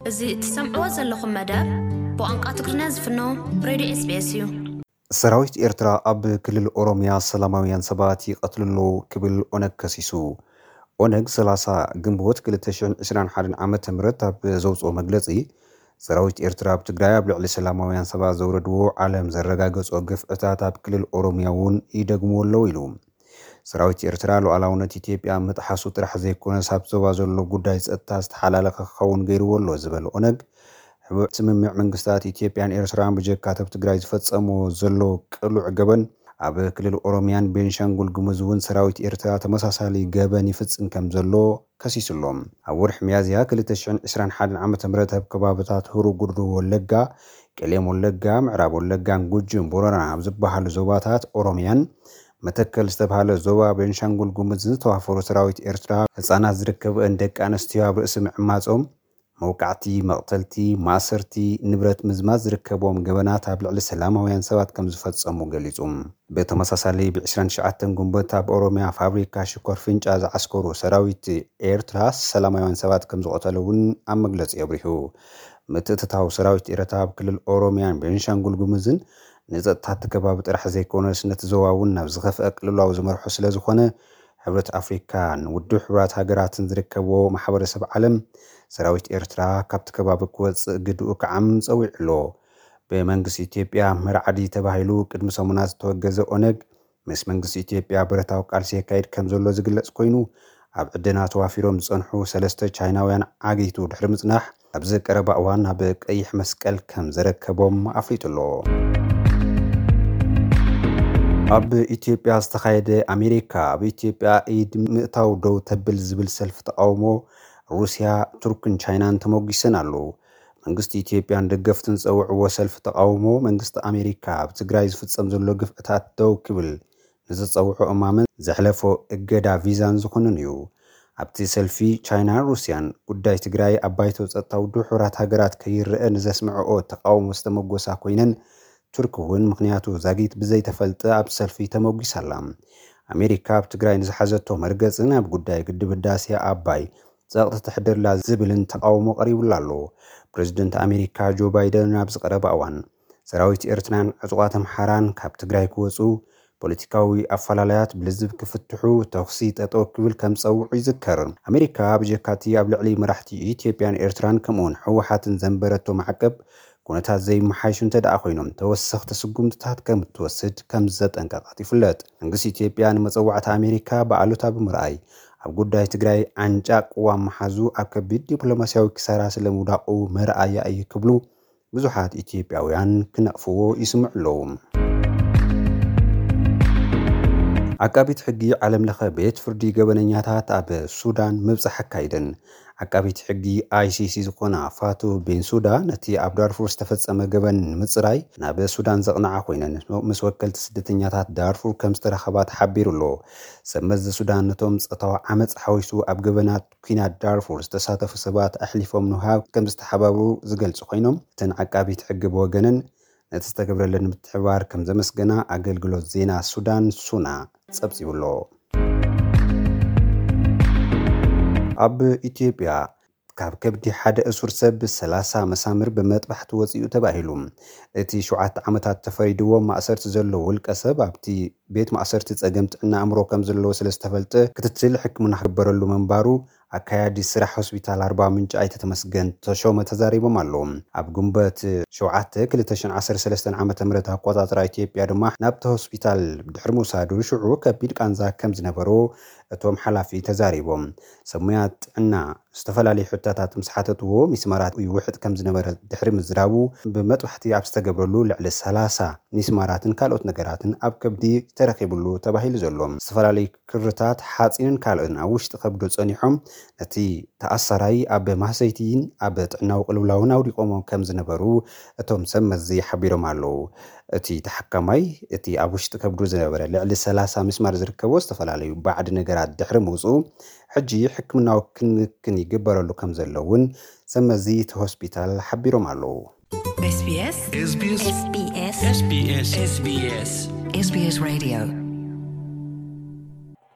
እዚ እትሰምዕዎ ዘለኹም መደብ ብቋንቋ ትግርኛ ዝፍኖ ሬድዮ ኤስቢኤስ እዩ። ሰራዊት ኤርትራ ኣብ ክልል ኦሮምያ ሰላማውያን ሰባት ይቐትሉ ኣለዉ ክብል ኦነግ ከሲሱ። ኦነግ ሰላሳ ግንቦት ክልተ ሽሕን ዕስራን ሓደን ዓመተ ምህረት ኣብ ዘውፅኦ መግለፂ፣ ሰራዊት ኤርትራ ኣብ ትግራይ ኣብ ልዕሊ ሰላማውያን ሰባት ዘውረድዎ ዓለም ዘረጋገጾ ግፍዕታት ኣብ ክልል ኦሮምያ እውን ይደግምዎ ኣለዉ ኢሉ። ሰራዊት ኤርትራ ሉዓላውነት ኢትዮጵያ ምጥሓሱ ጥራሕ ዘይኮነስ ኣብ ዞባ ዘሎ ጉዳይ ጸጥታ ዝተሓላለኸ ክኸውን ገይርዎ ኣሎ ዝበለ ኦነግ፣ ሕብረት ስምምዕ መንግስታት ኢትዮጵያን ኤርትራን ብጀካ ኣብ ትግራይ ዝፈጸምዎ ዘሎ ቅሉዕ ገበን ኣብ ክልል ኦሮምያን ቤንሻንጉል ጉሙዝ እውን ሰራዊት ኤርትራ ተመሳሳሊ ገበን ይፍጽም ከም ዘሎ ከሲሱ ኣሎ። ኣብ ወርሒ ሚያዝያ ክልተ ሽሕን ዕስራን ሓደን ዓመተ ምህረት ኣብ ከባብታት ሁሩ ጉድሩ ወለጋ፣ ቄሌም ወለጋ፣ ምዕራብ ወለጋን ጉጅን ቦረና ኣብ ዝበሃሉ ዞባታት ኦሮምያን መተከል ዝተባሃለ ዞባ ቤንሻንጉል ጉሙዝን ዝተዋፈሩ ሰራዊት ኤርትራ ህጻናት ዝርከብአን ደቂ ኣንስትዮ ኣብ ርእሲ ምዕማጾም መውቃዕቲ፣ መቕተልቲ፣ ማእሰርቲ፣ ንብረት ምዝማዝ ዝርከብዎም ገበናት ኣብ ልዕሊ ሰላማውያን ሰባት ከም ዝፈጸሙ ገሊጹ። ብተመሳሳሊ ብ ዕስራን ትሽዓተን ግንቦት ኣብ ኦሮምያ ፋብሪካ ሽኮር ፍንጫ ዝዓስከሩ ሰራዊት ኤርትራ ሰላማውያን ሰባት ከም ዝቐተሉ እውን ኣብ መግለጺ ኣብሪሁ። ምትእትታው ሰራዊት ኤርትራ ኣብ ክልል ኦሮምያን ቤንሻንጉል ጉሙዝን ንጸጥታ እቲ ከባቢ ጥራሕ ዘይኮነስ ነቲ ዞባ እውን ናብ ዝኸፍአ ቅልውላው ዝመርሖ ስለ ዝኾነ ሕብረት ኣፍሪካን ውድብ ሕቡራት ሃገራትን ዝርከብዎ ማሕበረሰብ ዓለም ሰራዊት ኤርትራ ካብቲ ከባቢ ክወፅእ ግድኡ ክዓም ፀዊዑ ኣሎ። ብመንግስቲ ኢትዮጵያ መርዓዲ ተባሂሉ ቅድሚ ሰሙናት ዝተወገዘ ኦነግ ምስ መንግስቲ ኢትዮጵያ ብረታዊ ቃልሲ የካይድ ከም ዘሎ ዝግለጽ ኮይኑ ኣብ ዕደና ተዋፊሮም ዝጸንሑ ሰለስተ ቻይናውያን ዓጊቱ ድሕሪ ምጽናሕ ኣብዚ ቀረባ እዋን ናብ ቀይሕ መስቀል ከም ዘረከቦም ኣፍሊጡ ኣሎ። ኣብ ኢትዮጵያ ዝተኻየደ ኣሜሪካ ኣብ ኢትዮጵያ ኢድ ምእታው ደው ተብል ዝብል ሰልፊ ተቃውሞ ሩስያ፣ ቱርክን ቻይናን ተሞጊሰን ኣለዉ። መንግስቲ ኢትዮጵያን ደገፍትን ዝጸውዕዎ ሰልፊ ተቃውሞ መንግስቲ ኣሜሪካ ኣብ ትግራይ ዝፍጸም ዘሎ ግፍዕታት ደው ክብል ንዝጸውዖ እማመን ዘሕለፎ እገዳ ቪዛን ዝኹንን እዩ። ኣብቲ ሰልፊ ቻይናን ሩስያን ጉዳይ ትግራይ ኣብ ባይቶ ጸጥታ ውድብ ሕቡራት ሃገራት ከይረአ ንዘስምዐኦ ተቃውሞ ዝተመጎሳ ኮይነን ቱርክ እውን ምኽንያቱ ዛጊት ብዘይተፈልጠ ኣብ ሰልፊ ተመጒሳ ኣላ። ኣሜሪካ ኣብ ትግራይ ንዝሓዘቶ መርገጽን ኣብ ጉዳይ ግድብ ህዳሴ ኣባይ ጸቕጢ ተሕድርላ ዝብልን ተቃውሞ ቀሪቡላ ኣሎ። ፕሬዝደንት ኣሜሪካ ጆ ባይደን ኣብዚ ቀረባ እዋን ሰራዊት ኤርትራን ዕጡቓት ኣምሓራን ካብ ትግራይ ክወፁ፣ ፖለቲካዊ ኣፈላለያት ብልዝብ ክፍትሑ፣ ተኹሲ ጠጠው ክብል ከም ዝፀውዑ ይዝከር። ኣሜሪካ ብጀካቲ ኣብ ልዕሊ መራሕቲ ኢትዮጵያን ኤርትራን ከምኡውን ህወሓትን ዘንበረቶ ማዕቀብ ኩነታት ዘይመሓይሹ እንተ ደኣ ኮይኖም ተወሰኽቲ ስጉምትታት ከም እትወስድ ከም ዘጠንቀቐት ይፍለጥ። መንግስቲ ኢትዮጵያ ንመፀዋዕታ ኣሜሪካ ብኣሉታ ብምርኣይ ኣብ ጉዳይ ትግራይ ዓንጫ ቅዋም ምሓዙ ኣብ ከቢድ ዲፕሎማስያዊ ክሳራ ስለ ምውዳቑ መርኣያ እዩ ክብሉ ብዙሓት ኢትዮጵያውያን ክነቕፍዎ ይስምዑ ኣለዉ። ዓቃቢት ሕጊ ዓለም ለኸ ቤት ፍርዲ ገበነኛታት ኣብ ሱዳን ምብጻሕ ኣካይደን። ዓቃቢት ሕጊ ኣይሲሲ ዝኾና ፋቱ ቤንሱዳ ነቲ ኣብ ዳርፉር ዝተፈጸመ ገበን ንምጽራይ ናብ ሱዳን ዘቕንዓ ኮይነን ምስ ወከልቲ ስደተኛታት ዳርፉር ከም ዝተረኸባ ተሓቢሩ ኣሎ። ሰብ መዚ ሱዳን ነቶም ጾታዊ ዓመጽ ሓዊሱ ኣብ ገበናት ኲናት ዳርፉር ዝተሳተፉ ሰባት ኣሕሊፎም ንውሃብ ከም ዝተሓባብሩ ዝገልጹ ኮይኖም እተን ዓቃቢት ሕጊ ብወገነን ነቲ ዝተገብረለን ምትሕብባር ከም ዘመስገና ኣገልግሎት ዜና ሱዳን ሱና ጸብጺቡ ኣሎ። ኣብ ኢትዮጵያ ካብ ከብዲ ሓደ እሱር ሰብ ሰላሳ መሳምር ብመጥባሕቲ ወፂኡ ተባሂሉ። እቲ ሸውዓተ ዓመታት ተፈሪድዎ ማእሰርቲ ዘሎ ውልቀ ሰብ ኣብቲ ቤት ማእሰርቲ ፀገም ጥዕና ኣእምሮ ከም ዘለዎ ስለ ዝተፈልጠ ክትትል ሕክምና ክግበረሉ ምንባሩ ኣካያዲ ስራሕ ሆስፒታል ኣርባ ምንጭ ኣይተ ተመስገን ተሾመ ተዛሪቦም ኣለዉ። ኣብ ግንቦት ሸውዓተ ክልተ ሽሕን ዓሰርተ ሰለስተን ዓመተ ምህረት ኣቆጻጽራ ኢትዮጵያ ድማ ናብቲ ሆስፒታል ድሕሪ ምውሳዱ ሽዑ ከቢድ ቃንዛ ከም ዝነበሮ እቶም ሓላፊ ተዛሪቦም። ሰብ ሙያ ጥዕና ዝተፈላለዩ ሕቶታት ምስ ሓተትዎ ሚስማራት ይውሕጥ ከም ዝነበረ ድሕሪ ምዝራቡ ብመጥባሕቲ ኣብ ዝተገብረሉ ልዕሊ ሰላሳ ሚስማራትን ካልኦት ነገራትን ኣብ ከብዲ ተረኺብሉ ተባሂሉ ዘሎ። ዝተፈላለዩ ክርታት ሓፂንን ካልእን ኣብ ውሽጢ ከብዱ ፀኒሖም ነቲ ተኣሳራይ ኣብ ማህሰይቲን ኣብ ጥዕናዊ ቅልውላውን ኣውዲቖሞ ከም ዝነበሩ እቶም ሰብ መዚ ሓቢሮም ኣለዉ። እቲ ተሓካማይ እቲ ኣብ ውሽጢ ከብዱ ዝነበረ ልዕሊ ሰላሳ ሚስማር ዝርከቦ ዝተፈላለዩ ባዕዲ ነገራት ድሕሪ ምውፅኡ ሕጂ ሕክምናዊ ክንክን ይግበረሉ ከም ዘሎ እውን ሰብ መዚ እቲ ሆስፒታል ሓቢሮም ኣለዉ። SBS SBS SBS SBS SBS Radio